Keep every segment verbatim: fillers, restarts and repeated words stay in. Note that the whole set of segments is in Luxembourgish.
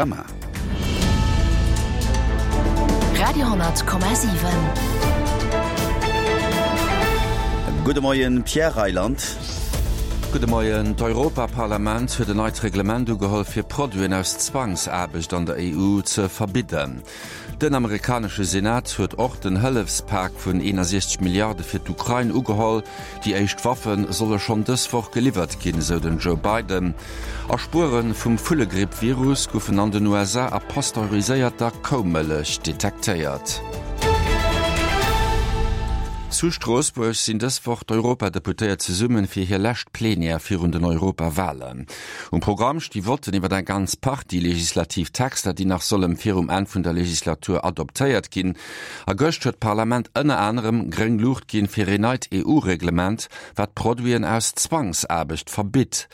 Gamma. Radio hundert Komma siwen. Gudde Moien, Pierre Reyland. Gudde Moien. D'Europaparlament huet en neit Reglement ugeholl fir Produiten aus Zwangsaarbecht an der E U ze verbidden. Den amerikanesche Senat huet och den Hëllefspak vun eenasiechzeg Milliarde fir d'Ukrain ugeholl. Déi éischt Waffe solle schonn dës Woch geliwwert ginn, sou den Joe Biden. A Spuere vum Vullegripp-Virus goufen an den U S A a pasteuriséierter Koumëllech detektéiert. Zu Stroossbuerg sinn dës Woch d'Europadeputéiert zesummen fir hir lescht Plenière virun den Europawalen. Um Programm sti Votten iwwer eng ganz Partie legislativ Texter, déi nach solle virum Enn vun der Legislatur adoptéiert ginn. A gëscht huet d'Parlament ënner anerem gréng Luucht ginn fir en neit E U-Reglement, wat Produiten aus Zwangsaarbecht verbitt.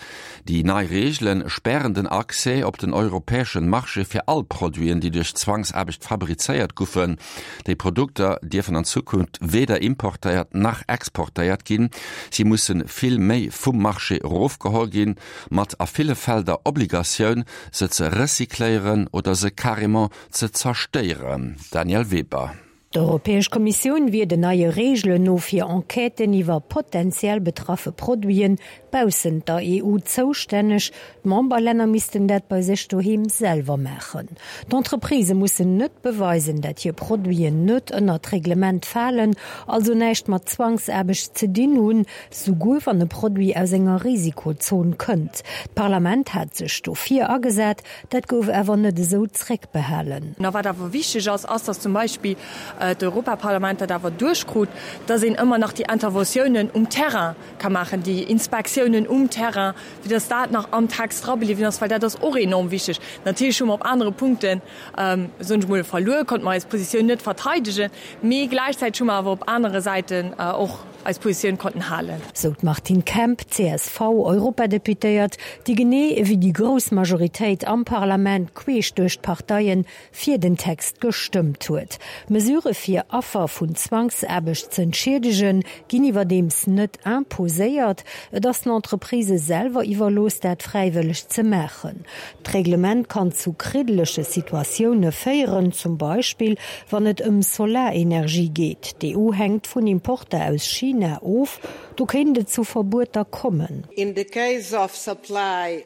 Déi nei Reegele spären den Accès op den europäesche Marché fir all Produiten, déi duerch Zwangsaarbecht fabrizéiert goufen. Déi Produkter dierfen an Zukunft weder importéiert nach exportéiert ginn. Si musse vill méi vum Marché erofgeholl ginn, mat a ville Fäll der Obligatioun, se ze recycléieren oder se carrément ze zerstéieren. Danièle Weber. D'Europäesch Kommissioun wier den neie Reegelen no fir Enquêten iwwer potenziell betraffe Produiten baussent der E U zoustänneg. D'Memberlänner missten dat bei sech doheem selwer maachen. D'Entreprisë mussen net beweisen, dat hir Produiten net ënner d'Reglement falen, also näischt mat Zwangsaarbecht ze dinn hunn, souguer wann e Produit aus enger Risikozon kënnt. D'Parlament hat sech dofir agesat, dat gouf awer net esou zréckbehalen. Na, wat awer wichteg ass, ass, dass zum Beispill d'Europaparlament dat awer duerchkrut, dass een ëmmer nach déi Interventiounen um Terrain ka maachen, déi Inspektiounen um Terrain, fir dass dat nach am Text dra bliwwen ass, well dat ass och enorm wichteg. Natierlech hu mer op anere Punkten, soen ech mol, verluer, konnte mer eis Positioun net verteidegen, mee gläichzäiteg hu mer awer op anere Säiten och eis Positioun konnten halen. Sou d'Martine Kemp, C S V-Europadeputéiert, déi genee ewéi déi grouss Majoritéit am Parlament queesch duerch d'Parteien fir den Text gestëmmt huet. Mesure fir Affer vun Zwangsaarbecht z'entschiedegen, ginn iwwerdeems net imposéiert, et ass den Entreprisë selwer iwwerlooss, dat fräiwëlleg ze maachen. D'Reglement kann zu kriddelege Situatioune féieren, zum Beispill wann et ëm Solarenergie geet. D'E U hänkt vun Importer aus China of, do kéint et zu Verbueter kommen.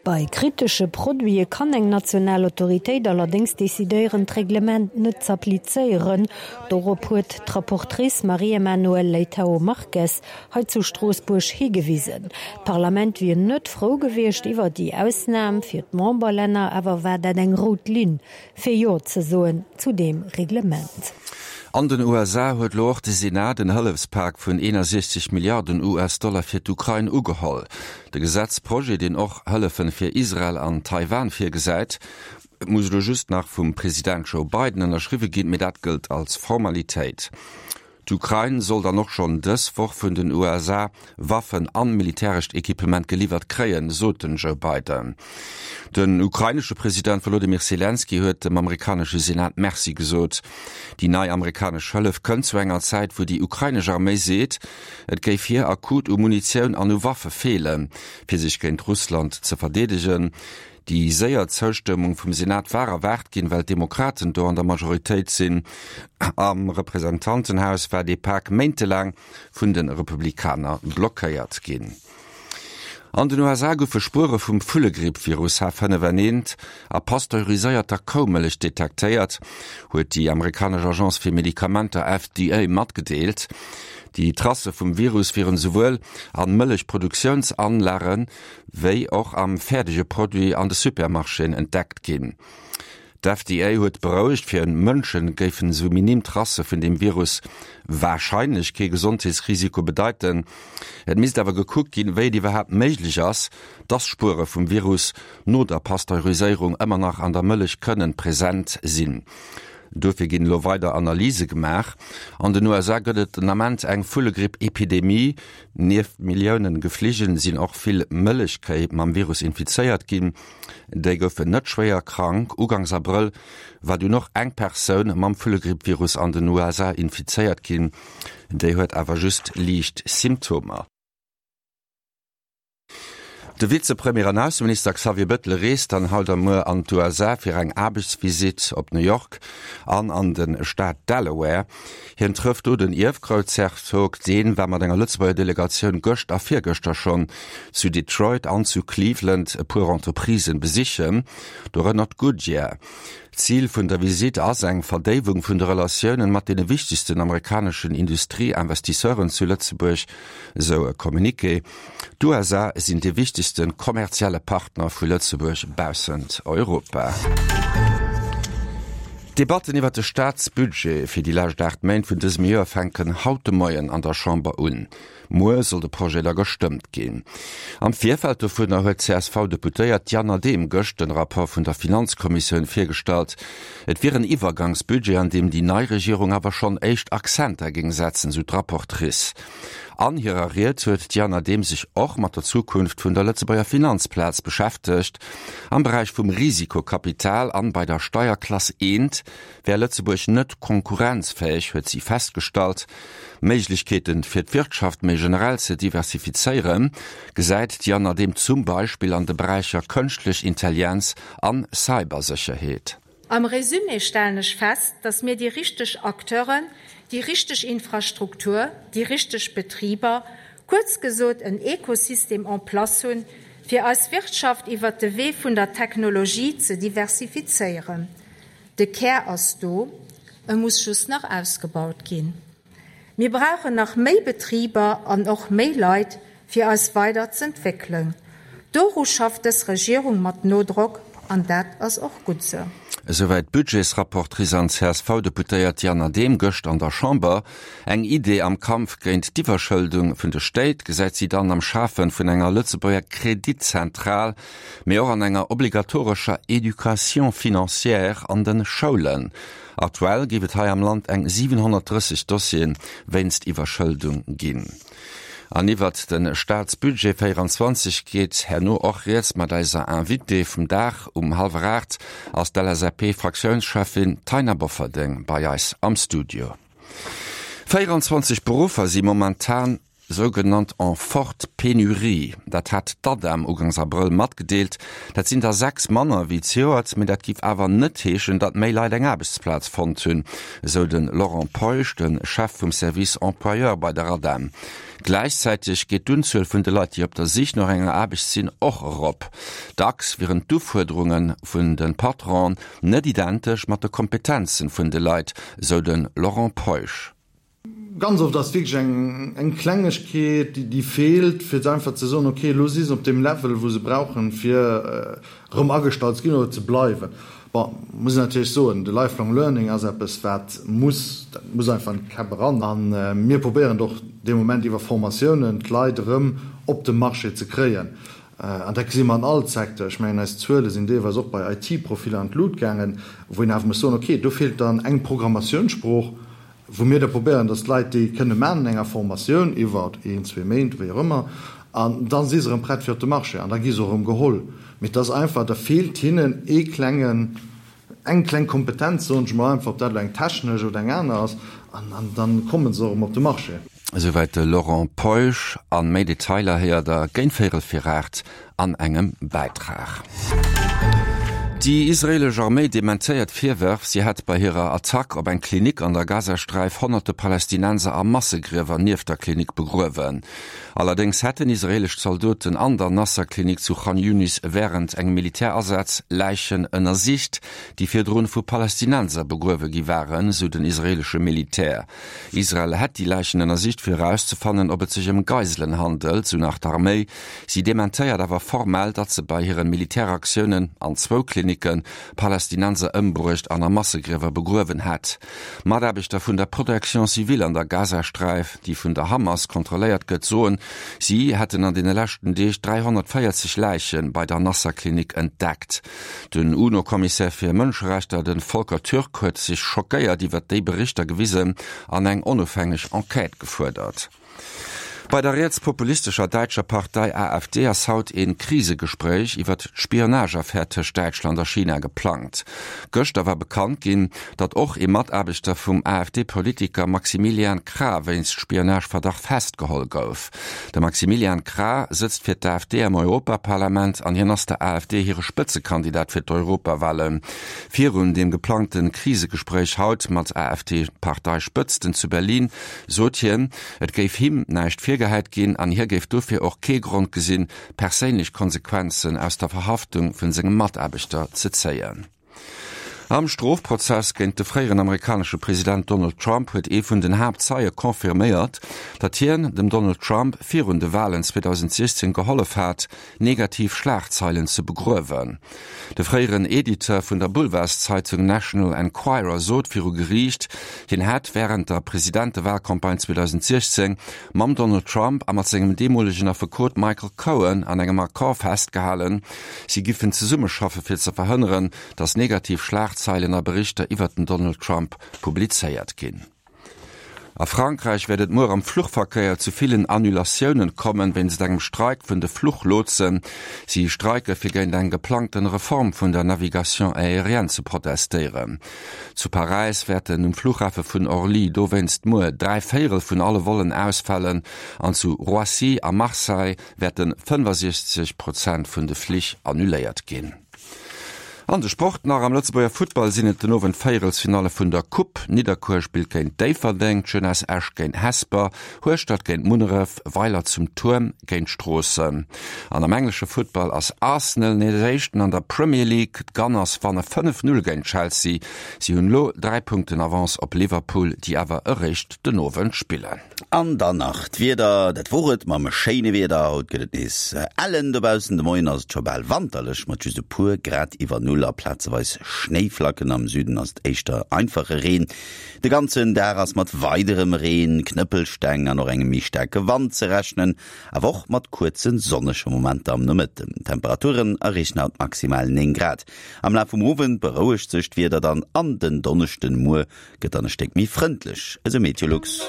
Bei kritesche Produite kann eng national Autoritéit allerdéngs decidéieren, d'Reglement net z'applizéieren. Dorop huet d'Rapportrice Maria Manuel Leitao Marques hei zu Stroossbuerg higewisen. D'Parlament wier net frou gewiescht iwwer déi Ausnam fir d'Memberlänner, awer war dat eng rout Linn fir Jo ze soen zu deem Reglement. An den U S A huet lo och de Senat den Hëllefspak vun eenasiechzeg Milliarden U S-Dollar fir d'Ukrain ugeholl. De Gesetzprojet, deen och Hëllefen fir Israel an Taiwan virgesäit, muss lo just nach vum President Joe Biden ënnerschriwwe ginn, mee dat gëllt als Formalitéit. D'Ukrain soll dann och schonn dës Woch vun den U S A Waffen an militärescht Equipement geliwwert kréien, sot den Joe Biden. Den ukrainesche President Volodymyr Zelensky huet dem amerikanesche Senat Merci gesot. Déi nei amerikanesch Hëllef kënnt zu enger Zäit, wou déi ukrainesch Arméi seet, et géif hir akut u Munitioun an u Waffe feelen, fir sech géint Russland ze verdeedegen. Déi séier Zoustëmmung vum Senat war erwaart ginn, well d'Demokraten do an der Majoritéit sinn. Am Representantenhaus war de Pak méintelaang vun de Republikaner blockéiert ginn. An den U S A goufe Spuere vum Vullegripp-Virus H fënnef N eent a pasteuriséierter Koumëllech detektéiert, huet déi amerikanesch Agence fir Medikamenter F D A matgedeelt. Déi Tracë vum Virus wieren esouwuel an Mëllechproduktiounsanlagen, wéi och am fäerdege Produit an de Supermarchéen entdeckt ginn. D'F D A huet berouegt, fir Mënsche géifen sou minim Tracë vun dem Virus warscheinlech kee Gesondheetsrisiko bedeiten. Et misst awer gekuckt ginn, wéi et iwwerhaapt méiglech ass, dass Spuere vum Virus no der Pasteuriséierung ëmmer nach an der Mëllech kënnen present sinn. Dofir ginn lo weider Analyse gemaach. An den U S A gëtt et den Ament eng Vullegripp-Epidemie. Nieft Milliounen Gefligel sinn och vill Mëllechkéi mam Virus infizéiert ginn. Déi goufen net schwéier krank. Ugangs Abrëll war dunn och eng Persoun mam Vullegripp-Virus an den U S A infizéiert ginn. Déi huet awer just liicht Symptomer. De Vizepremier an Ausseminister Xavier Bettel reest dann haut a muer an d'USA fir eng Aarbechtsvisitt op New York an an de Staat Delaware. Hien trëfft do den Ierfgroussherzog, dee war mat enger Lëtzebuerger Delegatioun gëscht a virgëschter schonn zu Detroit an zu Cleveland e puer Entreprisen besichen, dorënner d'Goodyear. Zil vun der Visitt ass eng Verdéiwung vun de Relatiounen mat deene wichtegsten amerikaneschen Industrieinvestisseuren zu Lëtzebuerg, esou e Communiqué. D'USA sinn dee wichtegste kommerzielle Partner vu Lëtzebuerg baussent Europa. D'Debatten iwwer de Staatsbudget fir déi lescht aacht Méint vun dësem Joer fänken haut de Moien an der Chamber un. Muer soll de Projet da gestëmmt ginn. Am Virfeld dovunner huet d'CSV-Deputéiert Diane Adehm gëscht den Rapport vun der Finanzkommissioun virgestallt. Et wier en Iwwergangsbudget, an deem déi nei Regierung awer schonn éischt Accenter géing setzen, sou d'Rapportrice. An hirer Ried huet d'Diane Adehm sech och mat der Zukunft vun der Lëtzebuerger Finanzplaz beschäftegt. Am Beräich vum Risikokapital an bei der Steierklass eent wär Lëtzebuerg net konkurrenzfäeg, huet si festgestallt. Méiglechkeeten, fir d'Wirtschaft méi generell ze diversifizéieren, gesäit d'Diane Adehm zum Beispill an de Beräicher Kënschtlech Intelligenz an Cybersécherheet. Am Resumé stellen ech fest, dass mir déi richteg Acteuren, déi richteg Infrastruktur, déi richteg Betriber, kuerz gesot en Ekosystem en place hunn, fir eis Wirtschaft iwwert de Wee vun der Technologie ze diversifizéieren. De Kär ass do, e muss just nach ausgebaut ginn. Mir brauchen nach méi Betriber an och méi Leit, fir eis weider z'entwéckelen. Doru schafft dës Regierung mat Nodrock, an dat ass och gutt sou. Esouwäit d'Budgetsrapportrice an CSV-Deputéiert Diane Adehm gëscht an der Chamber. Eng Idee am Kampf géint d'Iwwerschëldung vun de Stéit gesäit si dann am Schafe vun enger Lëtzebuerger Kreditzentral, mee och an enger obligatorescher Education financière an de Schoulen. Aktuell géif et hei am Land eng siwenhonnertdrësseg Dossiere wéinst Iwwerschëldung ginn. An iwwert de Staatsbudget véieranzwanzeg geet herno och rieds mat eiser Invitée vum Dag. Um hallwer aacht ass d'LSAP-Fraktiounscheffin Taina Bofferding bei eis am Studio. Véieranzwanzeg Beruffer si momentan sougenannt en forte pénurie. Dat hat d'ADEM ugangs Abrëll matgedeelt. Dat sinn der sechs manner wéi zejoert, mee dat giff awer net heeschen, datt méi Leit eng Aarbechtsplaz fonnt hunn, esou de Laurent Peusch, de Chef vum Service Employeur bei der ADEM. Gläichzäiteg geet d'Unzuel vun de Leit, déi op der Sich no enger Aarbecht sinn, och erop. Dacks wieren d'Ufuerderunge vun de Patronen net identesch mat de Kompetenzen vun de Leit, esou de Laurent Peusch. Ganz oft ass wierklech eng eng Klengegkeet, déi déi feelt, fir einfach ze soen, okay, elo si se op deem Level, wou se brauchen, fir erëm agestallt ze ginn oder ze bleiwen. Bon, muss een natierlech soen, de Lifelong Learning ass eppes, wat muss, dat muss einfach an d'Käpp eran. A mir probéieren et och dee Moment iwwer Formatiounen, d'Leit erëm op de Marché ze kréien. An dat gesi mer an all Secteur. Ech mengen, eis Zuele sinn deelweis och bei I T-Profiller an d'Lut gaangen, wou een awer muss soen, okay, do feelt dann eng Programmatiounssprooch, wou mir da probéieren, dass d'Leit déi kënne maachen an enger Formatioun iwwer een, zwee Méint, wéi och ëmmer, an da si se erëm prett fir op de Marché an da gi se och erëm geholl. Mee et ass einfach, da feelt hinnen ee klengen, eng kleng Kompetenz, soen ech mol einfach, ob dat elo eng technesch oder eng aner ass, an an da komme se och erëm op de Marché. Esouwäit de Laurent Peusch. An méi Detailer héiert der géint véierel fir aacht an engem Bäitrag. Déi israeelesch Arméi dementéiert Virwërf, si hätt bei hirer Attack op eng Klinik an der Gazasträif honnerte Palästinenser a Massegriewer nieft der Klinik begruewen. Allerdéngs hätten israeelesch Zaldoten an der Nasser-Klinik zu Chan Yunis wärend engem Militärasaz Läichen ënnersicht, déi virdrun vu Palästinenser begruewe gi waren, sou den israeelesche Militär. Israel hätt déi Läichen ënnersicht, fir erauszefannen, ob et sech ëm Geiselen handelt, sou nach d'Arméi. Si dementéiert awer formell, datt se bei hire Militäraktiounen an zwou Klinicke Palästinenser ëmbruecht an a Massegriewer begruewen hätt. Mataarbechter vun der Protection civile an der Gazasträif, déi vun der Hamas kontrolléiert gëtt, soen, si hätten an deene leschten Deeg dräihonnertvéierzeg Läiche bei der Nasser-Klinik entdeckt. Den UNO-Kommissär fir Mënscherechter, de Volker Türk, huet sech schockéiert iwwer déi Berichter gewisen an eng onofhängeg Enquête gefuerdert. Bei der rietspopulistescher däitscher Partei AfD ass haut een Krisegespréich iwwert d'Spionageaffär tëscht Däitschland a China geplangt. Gëschter war bekannt ginn, datt och ee Mataarbechter vum AfD-Politiker Maximilian Krah wéinst Spionageverdacht festgeholl gouf. De Maximilian Krah sëtzt fir d'AfD am Europaparlament an hien ass der AfD hire Spëtzekandidat fir d'Europawalen. Virun deem geplangte Krisegespréich haut mat AfD-Parteispëtzten zu Berlin sot hien, et géif him näischt virgehäit ginn an hie géif dofir och kee Grond gesinn, perséinlech Konsequenzen aus der Verhaftung vun sengem Mataarbechter ze zéien. Am Strofprozess géint de fréieren amerikanesche President Donald Trump huet ee vun den Haaptzeie confirméiert, datt hien dem Donald Trump virun de Walen zweedausentsiechzéng gehollef hat, negativ Schlagzeilen ze begruewen. De fréieren Editeur vun der Boulevardzeitung National Enquirer sot viru Geriicht, hien hätt wärend der Presidentewahlcampagne zweedausentsiechzéng mam Donald Trump a mat sengem deemolegen Affekot Michael Cohen an engem Accord festgehalen, si giffen zesummeschaffe fir ze verhënneren, datt negativ Schlagzeilen a Berichter iwwert den Donald Trump publizéiert ginn. A Frankräich wäert et muer am Fluchverkéier zu villen Annulatiounen kommen, wéinst engem Streik vun de Fluchlotsen. Si streike fir géint eng geplangten Reform vun der Navigation aérienne ze protestéieren. Zu Paräis wäerten um Fluchhafe vun Orly dowéinst muer dräi Véierel vun alle Vollen ausfalen an zu Roissy a Marseille wäerte fënnefasiechzeg Prozent vun de Flich annuléiert ginn. An de Sport nach, Am Lëtzebuerger Futtball sinn et den Owend d'Véierelsfinalle vun der Coupe. Nidderkuer spillt géint Déifferdeng, d'Jeunesse Esch géint Hesper, Hueschtert géint Munneref, Weiler zum Tuerm géint Stroossen. An am englesche Futtball ass Arsenal nees Éischten an der Premier League. D'Gunners wanne fënnef Null géint Chelsea. Si hunn elo dräi Punkten Avance op Liverpool, déi awer eréischt den Owend spillen. An dann nach d'Wieder, Dat wor et mam schéine Wieder. Haut gëtt et nees ellen dobaussen. De Moien ass et scho bal wanterlech mat just e puer Grad iwwer Null a plazeweis Schnéiflacken. Am Süden ass et éischter einfache Reen. De ganzen Dag ass mat weiderem Reen, Knëppelsteng an och engem méi staarke Wand ze rechnen, awer och mat kuerze sonnege Momenter am Nomëtten. D'Temperaturen erreechen haut maximal néng Grad. Am Laf vum Owend berouegt sech d'Wieder dann an den Donneschdenmuer gëtt dann e Stéck méi frëndlech, esou Meteolux.